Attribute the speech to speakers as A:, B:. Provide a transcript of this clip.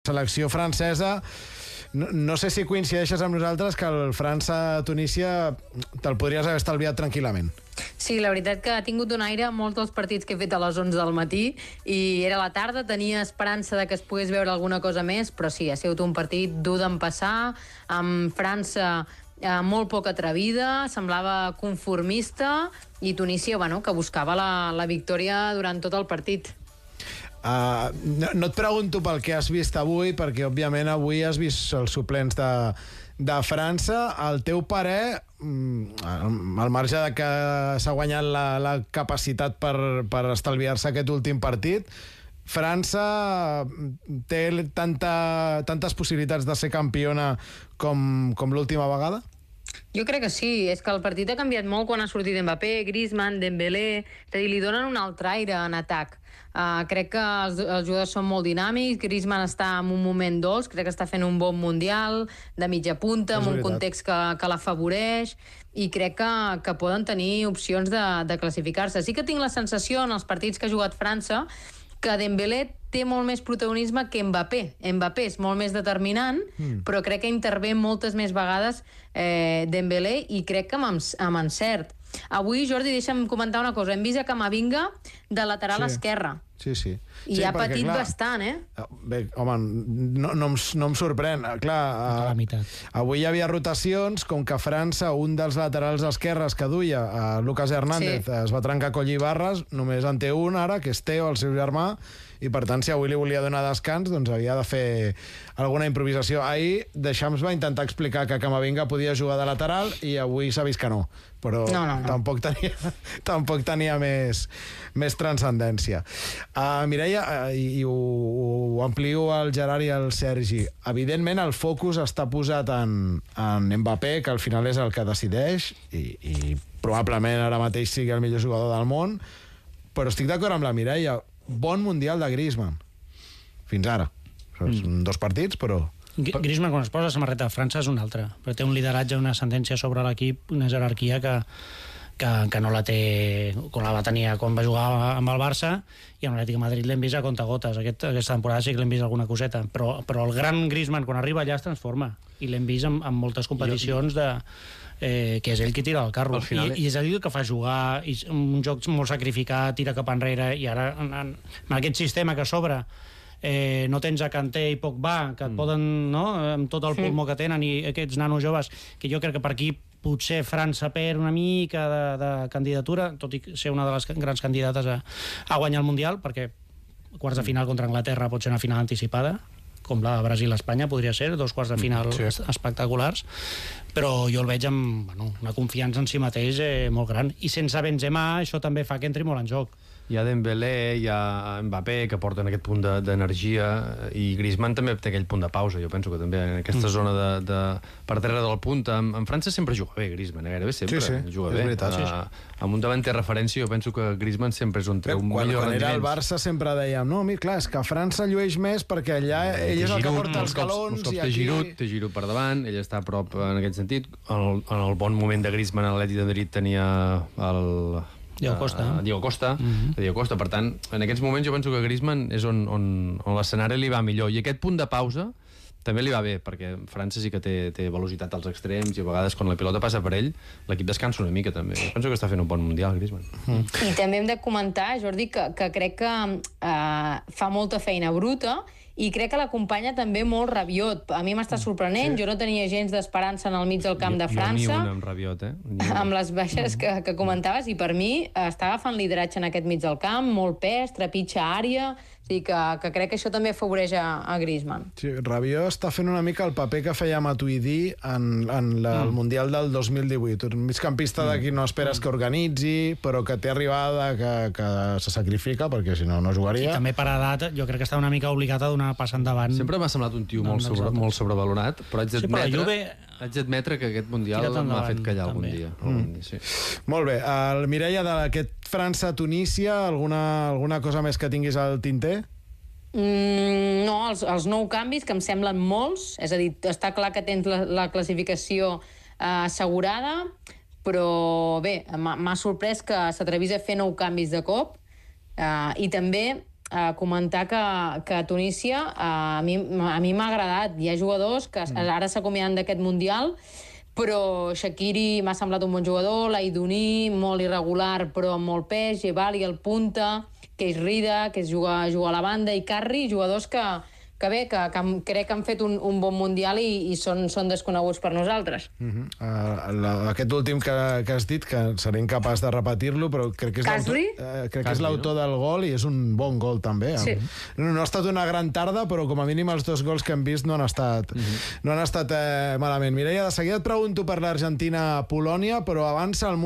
A: selecció francesa, no sé si coincideixes amb nosaltres que el França-Tunísia te'l podries haver estalviat tranquil·lament.
B: Sí, la veritat que ha tingut un aire molts dels partits que he fet a les 11 del matí i era la tarda, tenia esperança de que es pogués veure alguna cosa més, però sí, ha sigut un partit dur d'empassar, amb França molt poc atrevida, semblava conformista, i Tunísia, bueno, que buscava la victòria durant tot el partit.
A: No et pregunto pel que has vist avui, perquè òbviament avui has vist els suplents de França. El teu parer, al marge de que s'ha guanyat la capacitat per estalviar-se aquest últim partit, França té tantes possibilitats de ser campiona com l'última vegada?
B: Jo crec que sí, és que el partit ha canviat molt quan ha sortit Mbappé, Griezmann, Dembélé, és a dir, li donen un altre aire en atac. Crec que els jugadors són molt dinàmics, Griezmann està en un moment dolç, crec que està fent un bon mundial, de mitja punta, en un context que l'afavoreix, i crec que poden tenir opcions de classificar-se. Sí que tinc la sensació en els partits que ha jugat França que Dembélé té molt més protagonisme que Mbappé. Mbappé és molt més determinant, però crec que intervé moltes més vegades Dembélé, i crec que amb encert. Avui, Jordi, deixa'm comentar una cosa. Hem vist a Camavinga de lateral esquerre.
A: Sí.
B: I ha patit bastant,
A: Bé, home, no em sorprèn. Clar, avui hi havia rotacions, com que a França un dels laterals esquerres que duia, Lucas Hernández, es va trencar coll i barres, només en té un ara, que és Teo, el seu germà, i per tant, si avui li volia donar descans, doncs havia de fer alguna improvisació. Ahir Deschamps va intentar explicar que Camavinga podia jugar de lateral i avui s'ha vist que no, però tampoc tenia més transcendència. Mireia, i ho amplio al Gerard i al Sergi, evidentment el focus està posat en Mbappé, que al final és el que decideix, i probablement ara mateix sigui el millor jugador del món, però estic d'acord amb la Mireia, bon mundial de Griezmann fins ara. Són 2 partits, però...
C: Griezmann, quan es posa la samarreta de França, és un altre, però té un lideratge, una ascendència sobre l'equip, una jerarquia que no la té, com la va tenir quan va jugar amb el Barça, i amb l'Atlètic de Madrid l'hem vist a comptagotes. Aquesta temporada sí que l'hem vist alguna coseta, però el gran Griezmann, quan arriba allà, es transforma, i l'hem vist en moltes competicions que és ell qui tira el carro, i és ell que fa jugar, i un joc molt sacrificat, tira cap enrere, i ara en aquest sistema que s'obre no tens a Kanté i Pogba, que et poden, no?, amb tot el pulmó que tenen, i aquests nanos joves, que jo crec que per aquí potser França perd una mica de candidatura, tot i ser una de les grans candidates a guanyar el Mundial, perquè quarts de final contra Anglaterra pot ser una final anticipada, com la Brasil-Espanya podria ser, 2 quarts de final espectaculars, però jo el veig amb una confiança en si mateix molt gran, i sense Benzema això també fa que entri molt en joc.
D: Hi ha Dembélé, hi ha Mbappé, que porten aquest punt d'energia, i Griezmann també té aquell punt de pausa. Jo penso que també en aquesta zona per darrere del punt, en França sempre juga bé Griezmann, gairebé sempre juga bé. Amb un davanter referència, jo penso que Griezmann sempre és on treu millor rendiment.
A: Quan era al Barça sempre dèiem, no, mira, clar, és que França llueix més perquè allà ell és el que porta els galons, i aquí...
D: Té Giroud per davant, ell està a prop en aquest sentit. En el bon moment de Griezmann a l'Atlètic de Madrid tenia el... Diego Costa. Per tant, en aquests moments jo penso que Griezmann és on l'escenari li va millor, i aquest punt de pausa també li va bé, perquè França sí que té velocitat als extrems, i a vegades quan la pilota passa per ell l'equip descansa una mica també. Jo penso que està fent un bon mundial Griezmann.
B: I també hem de comentar, Jordi, que crec que fa molta feina bruta, i crec que l'acompanya també molt Rabiot. A mi m'està sorprenent, jo no tenia gens d'esperança en el mig del camp de França.
D: Jo ni un amb Rabiot,
B: amb les baixes que comentaves, i per mi està agafant lideratge en aquest mig del camp, molt pes, trepitja àrea, i que crec que això també afavoreix a Griezmann.
A: Sí, Rabiot està fent una mica el paper que feia Matuidi en el Mundial del 2018. Un migcampista d'aquí no esperes que organitzi, però que té arribada, que se sacrifica, perquè si no, no jugaria.
C: I també per edat, jo crec que està una mica obligat a donar pas endavant.
D: Sempre m'ha semblat un tio molt sobrevalorat, però haig d'admetre que aquest Mundial m'ha fet callar algun dia.
A: Molt bé. Mireia, d'aquest França-Tunísia, alguna cosa més que tinguis al tinter?
B: No, els 9 canvis, que em semblen molts, és a dir, està clar que tens la classificació assegurada, però bé, m'ha sorprès que s'atrevís a fer 9 canvis de cop, i també comentar que Tunísia a mi m'ha agradat. Hi ha jugadors que ara s'acomiaden d'aquest Mundial, però Shaqiri m'ha semblat un bon jugador, l'Aidouni, molt irregular però amb molt pes, Jebali, el punta, Keis Rida, que juga a la banda, i Carri, jugadors que crec que han fet un bon Mundial i són desconeguts per nosaltres.
A: Aquest últim que has dit, que seré incapaç de repetir-lo, però crec que és l'autor del gol i és un bon gol també.
B: Sí.
A: No ha estat una gran tarda, però com a mínim els 2 gols que hem vist no han estat malament. Mireia, de seguida et pregunto per l'Argentina-Polònia, però abans el